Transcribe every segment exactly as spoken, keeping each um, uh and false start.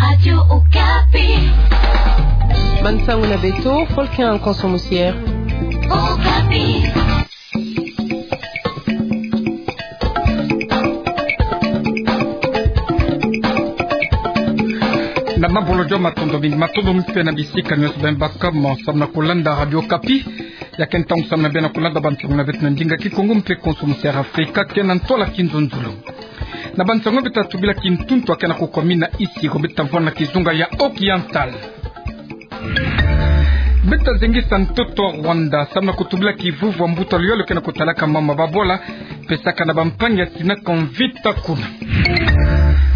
Radio Okapi. Bansangu na beto, Volcan Konso Musier. Okapi. Na mabolo jo matondo mingi, matondo mingi mpe na bisika nyonso beno baka mo samu na kulanda Radio Okapi. Ya ke ntangu samu na beno kulanda bansangu na beto na ndinga Kikongo mpe Konso Musier Afrika, ke na ntwala Kinzonzolo. Na bansangu beto ta tubila, kintuntu ake na kukwami na Isiro, beto ta vwanda na kizunga ya Oriental. Beto ta zengisa ntoto Rwanda samu na kutubila kivuvwa mbuta luyolo ke na kutalaka mama babwala, pesaka na bampangi ya sinaka mvita kuna.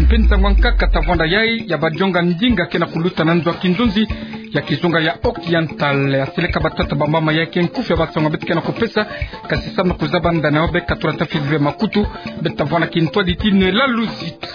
Mpe nsangu ya nkaka ta vwanda yayi ya badionga ndinga ke na kuluta na nzo ya kinzonzi ya kizunga ya Oriental, ya seleka batata bamama, ya ke nkufi ya bansangu beto ke na kupesa, kasi samu na kuzaba ndani ya obe katula ta fidule makutu, beto ta vwanda na kintwadi ti Noëlla Luzitu.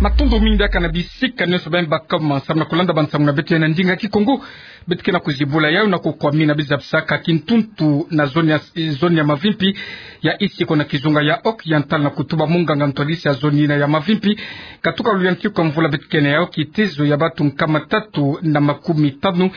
Matondo mingi diaka na bisika nyonso beno baka mo samu na kulanda bansangu na beto na ndinga Kikongo. Beto ke na kuzibula yayo na kukwami na biza bisaka kintuntu na zone ya, zone ya Mavimpi ya Isiko na kizunga ya Oriental, na kutuba munganga ntwadisi ya zone yina ya Mavimpi. Katuka luyantiku ya mvula beto ke na yayo, kitezo ya bantu nkama tatu na makumi tanu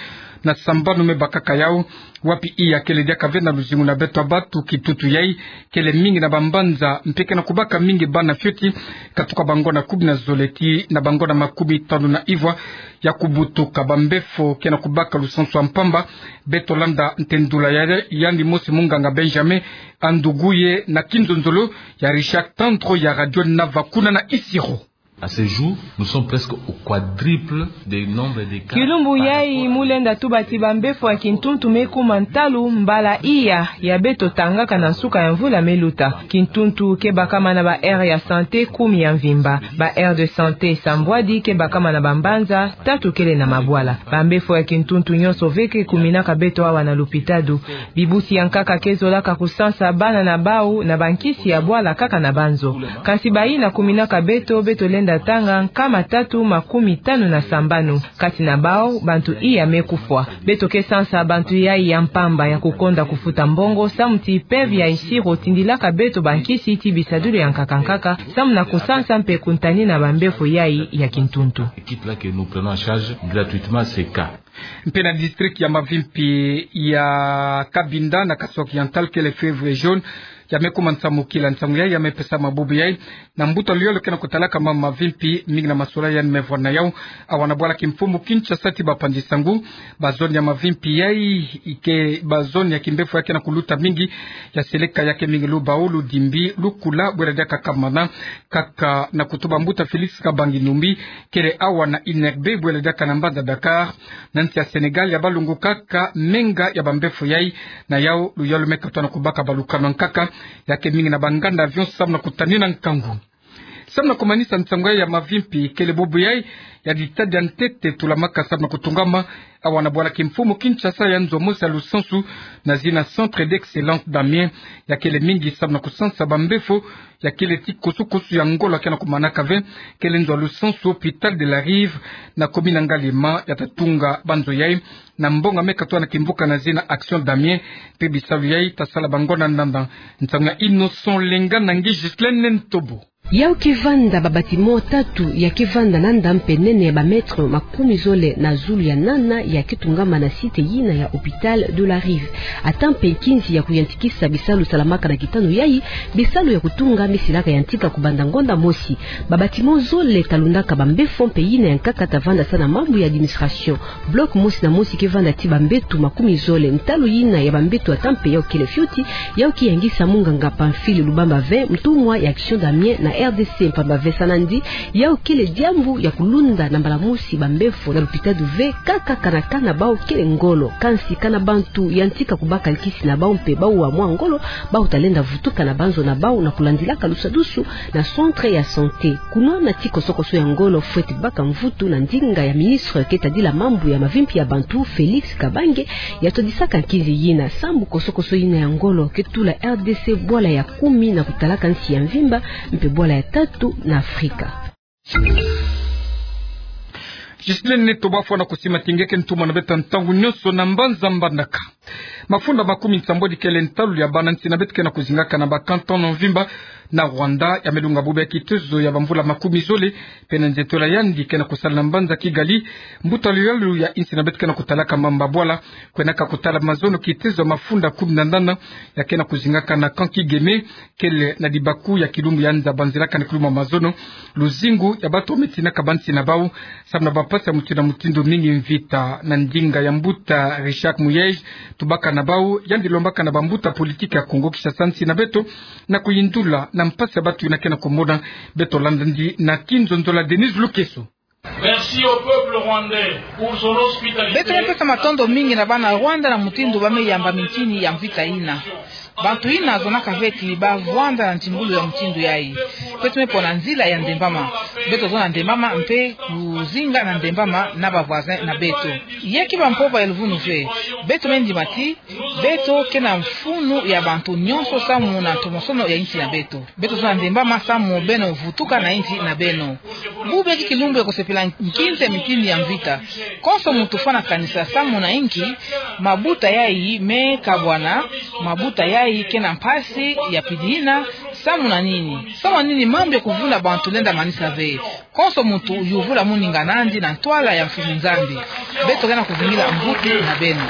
na sambanu me bakaka yayo, wapi iya kele diaka ve na luzingu na beto ya bantu. Kitutu yayi kele mingi na bambanza, mpe ke na kubaka mingi bana fioti, katuka bangonda kumi na zole tii na bangonda makumi tanu na ivwa ya kubutuka. Bambefo ke na kubaka lusansu ya mpamba. Beto landa ntendula ya, yandi mosi munganga Benjamin Anduguye na Kinzonzolo ya Richard Tantro ya Radio Nava kuna na Isiro. À ce jour, nous sommes presque au quadruple des nombres des cas. Kilumbu yayi mu lenda tuba ti bambefo ya kintuntu me kuma ntalu mbala iya ya beto tangaka na nsuka ya mvula me luta. Kintuntu ke bakama na ba aire ya santé kumi ya mvimba. Ba aire de santé sambwadi ke bakama na bambanza, tatu kele na mabwala. Bambefo ya kintuntu nyonso ve ke kuminaka beto awa na lupitalu. Bibusi ya nkaka ke zolaka kusansa bana na bawu na bankisi ya bwala kaka na banzo. Kansi bayina kuminaka beto, beto lenda tanga nkama tatu makumi tanu na sambanu. Kati na bawu, bantu iya me kufwa. Beto ke sansa bantu yayi ya mpamba ya kukonda kufuta mbongo, samu ti mpeve ya Isiro tindilaka beto bankisi ti bisadulu ya nkaka nkaka, samu na kusansa mpe kuntanina bambefo yayi ya kintuntu. Équipe là que nous prenons en charge gratuitement ces cas. Mpe na district ya Mavimpi ya Cabinda na Kasai Oriental, kele fièvre jaune ya me kuma nsamukila. Nsangu yayi ya me pesama bubu yayi na mbuta luyolo ke na kutalaka mama Mavimpi, mingi na masolani ya me vwanda na yawu awa na bwala kimfumu Kinshasa ti bapanzi nsangu. Ba zone ya Mavimpi yayi ke ba zone ya kimbefo ya ke na kuluta mingi, ya seleka ya ke mingi Lubao, Ludimbi, Lukula, bwela diaka Kamana, kaka na kutuba mbuta Félix Kabange Numbi, kele awa na Ineb, bwela diaka na mbanza Dakar, na nsi ya Sénégal, ya balungukaka menga ya bambefo yayi. Na yawu luyolo me katuka na kubaka balukano ya nkaka ya ke mingi na banganda avion samu na kutanina nkangu. Samu na kumanisa nsangu yayi ya Mavimpi, kele bubu yayi ya ditadi ya ntete tulamaka samu na kutungama awa na bwala kimfumu Kinshasa ya nzo mosi ya lusansu na zina Centre d'Excellence d'Amiens, ya kele mingi samu na kusansa bambefo ya kele ti kusu-kusu ya ngolo ya ke na kumanaka ve. Kele nzo ya lusansu Hôpital de la Rive na commune Ngaliema ya ta tunga banzo yayi na mbongo me katuka na kimvuka na zina Action d'Amiens, mpe bisalu yayi ta sala bangonda ndanda. Nsangu ya Innocent Lenga na nge Ghislaine Ntobo. Yawu ke vanda ba bâtiment tatu ya ke vanda na ndampe nene ya ba mètre makumi zole na zulu ya nana, ya ke tungama na site yina ya Hôpital de la Rive. Ata mpe nkinzi ya kuyantikisa bisalu salamaka na kitanu yayi, bisalu ya kutunga me silaka yantika kubanda ngonda mosi. Ba bâtiment zole ta lundaka bambefo mpe yina ya nkaka ta vanda sa na mambu ya administration. Bloc mosi na mosi ke vanda ti bambeto makumi zole. Ntalu yina ya bambeto ata mpe yawu kele fioti, yawu ke yangisa munganga Pamphile Lubamba Ve, ntumwa ya Action d'Amiens na R D C, mpamba ve sa nandi, yawu kele diambu ya kulunda na mbala mosi bambefo na lupitalu ve, kaka kana kana bawu kele ngolo. Kansi kana bantu yantika kubaka nkisi na bawu mpe bawu wa mwa ngolo, bawu ta lenda vutuka na banzo na bawu na kulandilaka lusadusu na centre ya santé. Kunwana ti koso-koso ya ngolo fweti baka mvutu na ndinga ya ministre ke tadila mambu ya mavimpi ya bantu, Félix Kabange, ya todisaka nkinzi yina, sambu koso-koso yina ya ngolo ke tula R D C bwala ya kumi na kutalaka nsi ya mvimba, mpe bwala ya tatu na Afrika. Ghislaine Ntobo, bafwana kusima ti nge ke ntumwa na beto ntangu nyonso na mbanza Mbandaka. Mafunda makumi nsambwadi kele ntalu ya bana nsi na beto ke na kuzingaka na ba canton na mvimba na Rwanda ya me lunga bobia kitezo ya bamvula makumi zole, mpe na nzietolo yandi ke na kusala na mbanza Kigali, mbuta luyalu ya insi na beto ke na kutalaka mambu ya bwala, kwenaka kutala mazono kitezo ya mafunda kumi na nana ya ke na kuzingaka na camp Kigeme, kele na dibaku ya kilumbu ya nza banzilaka na kilumbu ya mazono, luzingu ya bato me tinaka ba nsi na bau samu na bampasi ya mutindu na mutindu, mingi mvita. Na ndinga ya mbuta Richard Muyej, tubaka na bau, yandi lombaka na bambuta politiki ya Kongo Kinshasa nsi na beto na kuyindula na mpasi ya bato yina ke na kumona. Beto landa yandi na kinzonzolo ya Denise Lukeso. Merci au peuple rwandais pour son hospitalité. Beto me pesa matondo mingi na bana Rwanda na mutindu ba me yamba mintini ya mvita yina. Bantu yina zonaka ve ti ba vwanda na ntingulu ya mutindu yayi. Beto me pona nzila ya ndembama. Beto zola na ndembama mpe kuzinga na ndembama na ba voisins na beto. Yaki ba mpova ya luvunu ve. Beto me ndima ti beto ke na mfunu ya bantu nyonso samu na ntomosono ya insi na beto. Beto zola na ndembama samu beno vutuka na insi na beno. Bubu yaki kilumbu ya kusepela nkinza ya mintini ya mvita. Konso muntu fwana kanisa samu na inki mabuta yayi me kabwana, mabuta yayi ke na mpasi ya pidi yina, samu na nini? Samu na nini mambu ya kuvuna bantu lenda manisa ve? Konso muntu yuvula muninga nandi na ntwala ya mfumu Nzambi. Beto ke na kuvingila mvutu na beno.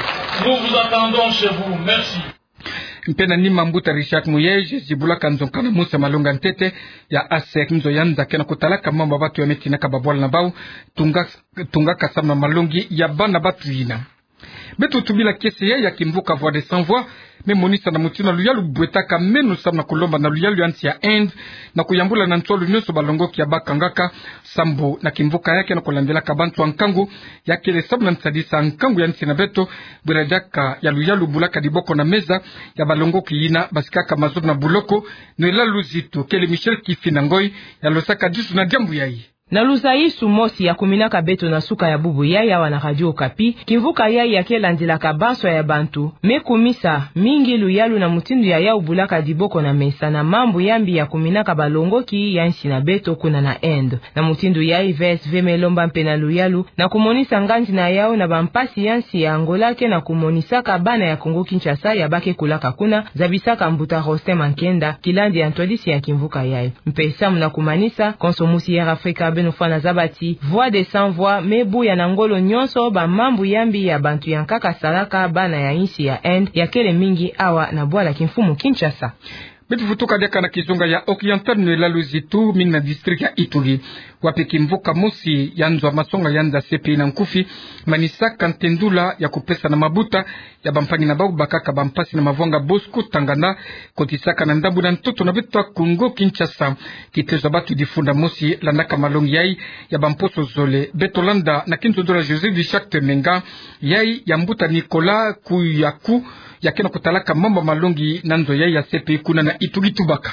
Nous vous attendons chez vous. Merci. Mpe na nima, mbuta Richard Muyej zibulaka nzo nkana mosi ya malongi ya ntete ya ASEC, nzo ya nza ke na kutalaka mambu ya bato ya me tinaka babwala na bau, tunga, tungaka samu na malongi ya bana bato yina. Beto tubila kiese ya kimvuka Voix des Sans Voix, me monisa na mutindu luyalu bwetaka meno samu na kulomba na luyalu ya nsi ya Inde na kuyambula na nsolo nyonso balongoki ya bakangaka, sambu na kimvuka ya ke na kulandilaka bantu ya nkangu, ya kele samu na nsadisa nkangu ya nsi na beto, bwela diaka ya luyalu bulaka diboko na meza ya balongoki yina basikaka mazono na buloko. Noëlla Luzitu kele Michel Kifina Ngoy ya losaka disu na diambu yayi. Na luzayisu mosi ya kuminaka beto na suka ya bubu yayi awa na Radio Okapi, kimvuka yayi ya ke landilaka banswa ya bantu, me kumisa mingi luyalu na mutindu ya yau bulaka diboko na mesa na mambu ya mbi ya kuminaka balongoki ya nsi na beto kuna na Inde. Na mutindu yayi, V S V me lomba mpe na luyalu na kumonisa nganzi na yau na bampasi ya nsi ya Angola ke na kumonisaka bana ya Kongo Kinshasa ya ba ke kulaka kuna, zabisaka mbuta Rosten Mankenda, kilandi ya ntwadisi ya kimvuka yayi. Mpe samu na kumanisa, konso mosi Air Africa beno fwana zaba ti Voix des Sans Voix me buya na ngolo nyonso bamambu ya mbi ya bantu ya nkaka salaka bana ya insi ya Inde, ya kele mingi awa na bwala kimfumu Kinshasa. Beto vutuka diaka na kizunga ya Occidental, Noëlla Luzitu, mingi na district ya Ituri, wapi kimvuka mosi ya nzo ya masonga ya nza C P I na nkufi manisaka ntendula ya kupesa na mabuta ya bampangi na bau bakaka bampasi na mavwanga Bosco Ntaganda, kotisaka na ndambu na ntoto na beto ya Kongo Kinshasa. Kitezo ya bato difunda mosi landaka malongi yayi ya bamposo zole. Beto landa na kinzonzolo ya José Richard Temenga, yayi ya mbuta Nicolas Kuyaku, ya ke na kutalaka mambu ya malongi na nzo yayi ya C P I kuna na Ituri, tubaka.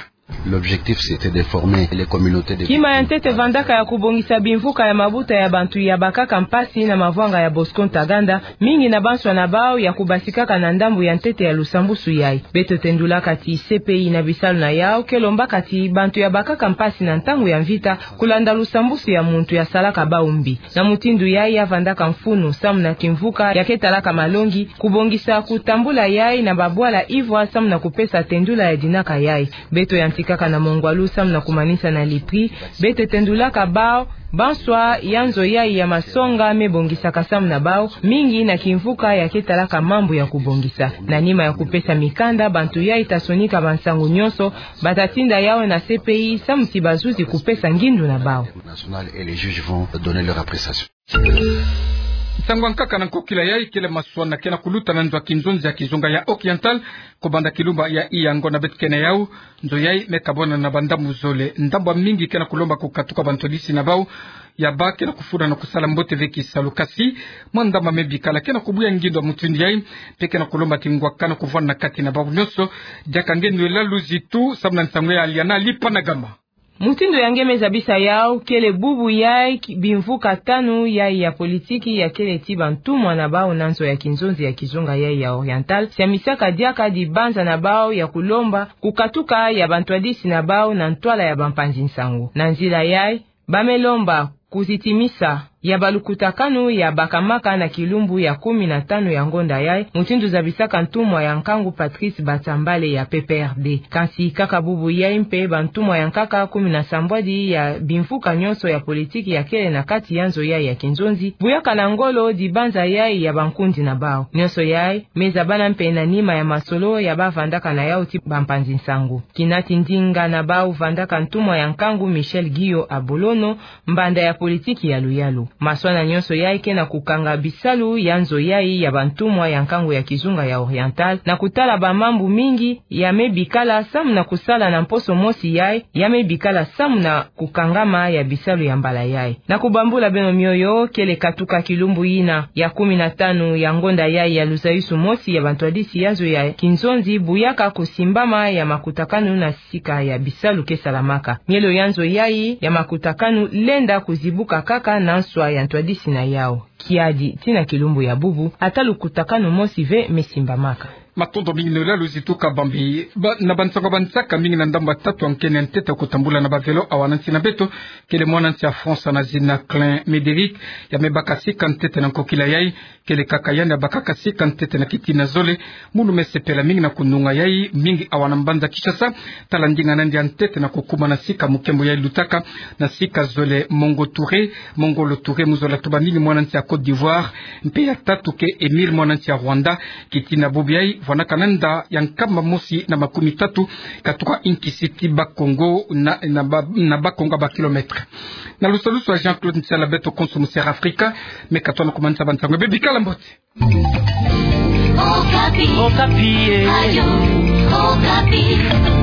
L'objectif, c'était de former les communautés de... Kima ya ntete vandaka ya kubongisa bimvuka ya mabuta ya bantu ya bakaka mpasi na mavwanga ya Bosco Ntaganda, mingi na banswa na bau ya kubasikaka na ndambu ya ntete ya lusambusu yayi. Beto tendulaka ti C P I na bisalu na yau ke lombaka ti bantu ya bakaka mpasi na ntangu ya mvita kulanda lusambusu ya muntu ya salaka bau mbi. Na mutindu yayi ya vandaka mfunu samu na kimvuka ya ke talaka malongi, kubongisa kutambula yayi na babwala ivwa samu na kupesa tendula ya dinaka yayi. Beto yantikaka na mongwalu samu na kumanisa na lipwi, beto tendulaka bau, banswa ya nzo yayi ya masonga me bongisaka samu na bau, mingi na kimvuka ya ke talaka mambu ya kubongisa. Na nima ya kupesa mikanda, bantu yayi ta sonika bansangu nyonso, ba ta tinda yau na C P I samu ti bazuzi kupesa ngindu na bau. National et les juges vont donner leur appréciation. Nsangu ya nkaka na nkokila yayi kele maswa na ke na kuluta na nzo ya kinzonzi ya kizunga ya Occidental, kubanda kilumba ya Iyango na beto ke na yau. Nzo yayi me kabwana na bandambu zole. Ndambu ya mingi ke na kulomba kukatuka bantwadisi na bau ya ba ke na kufunda na kusala mbote ve kisalu, kasi mwa ndambu me bikala ke na kubuya ngindu ya mutindu yayi, mpe ke na kulomba ti ngwakana kuvwanda na kati na bau nyonso. Diaka nge Noëlla Luzitu samu na nsangu ya Aliana Lipanagama. Mutindu ya nge me zabisa yau, kele bubu yayi ki-, bimvuka tanu yayi ya politiki ya kele ti bantumwa na bau na nzo ya kinzonzi ya kizunga yayi ya Occidental, siamisaka diaka dibanza na bau ya kulomba kukatuka ya bantwadisi na bau na ntwala ya bampanzi nsangu. Na nzila yayi, ba me lomba kuzitimisa ya balukutakanu ya bakamaka na kilumbu ya kumi na tanu ya ngonda yai, mutindu zabisaka ntumwa ya nkangu Patrice Batambale ya P P R D. Kansi kaka bubu yai mpe bantumwa ya nkaka kumi na sambwadi ya bimvuka nyonso ya politiki ya kele na kati ya nzo yai ya kinzonzi, buyaka na ngolo dibanza yai ya bankundi na bau. Nyonso yai me zabana mpe na nima ya masolo ya bavandaka na yau ti bampanzi nsangu. Kinati ndinga na bau vandaka ntumwa ya nkangu Michel Guillot Abolono, mbanda ya politiki ya luyalu. Maswana nyonso yai ke na kukanga bisalu ya nzo yai ya bantumwa ya nkangu ya kizunga ya Oriental, na kutala bamambu mingi ya me bikala samu na kusala na mposo mosi yai, ya me bikala samu na kukangama ya bisalu ya mbala yai. Na kubambula beno mioyo, kele katuka kilumbu yina ya kumi na tanu ya ngonda yai ya luzayusu mosi ya bantwadisi ya nzo ya kinzonzi buyaka kusimbama ya makutakanu na sika ya bisalu ke salamaka. Mielo ya nzo yai ya makutakanu lenda kuzibuka kaka na nswa ya ntwadisi na yau. Kiadi, tii na kilumbu ya bubu, ata lukutakanu mosi ve me simbamaka. Matondo mingi na luzolo zi tuka bambi. Ba, na bansangu bansaka mingi na ndambu ya tatu ya nkeni ya ntete kutambula na bavelo awa na nsi na beto, kele mwana nsi ya France na zina Klein Médéric, ya me baka sika ntete na nkokila yai, kele kaka yandi ya bakaka sika ntete na kitina zole. Munu me sepela mingi na kununga yai, mingi awa na mbanza Kinshasa, tala ndinga na yandi ya ntete na kukumana sika mu nkembo yai lutaka na sika zole Mongo Touré, Mongolo Touré, mu zola tuba mingi mwana nsi ya Côte d'Ivoire, mpe ya tatu ke Émile mwana nsi ya Rwanda. Kitina bubu yai, vwanaka na nda ya nkama mosi na makumi tatu, katuka inki siti Bakongo na, na ba, na Bakongo ba kilomètre. Na lusalusu ya Jean-Claude Nsala, beto konso mu Sierra Africa, me katona kumanisa bansangu. Bebikala mbote. Okapi. Okapi, eh. Ayo, Okapi.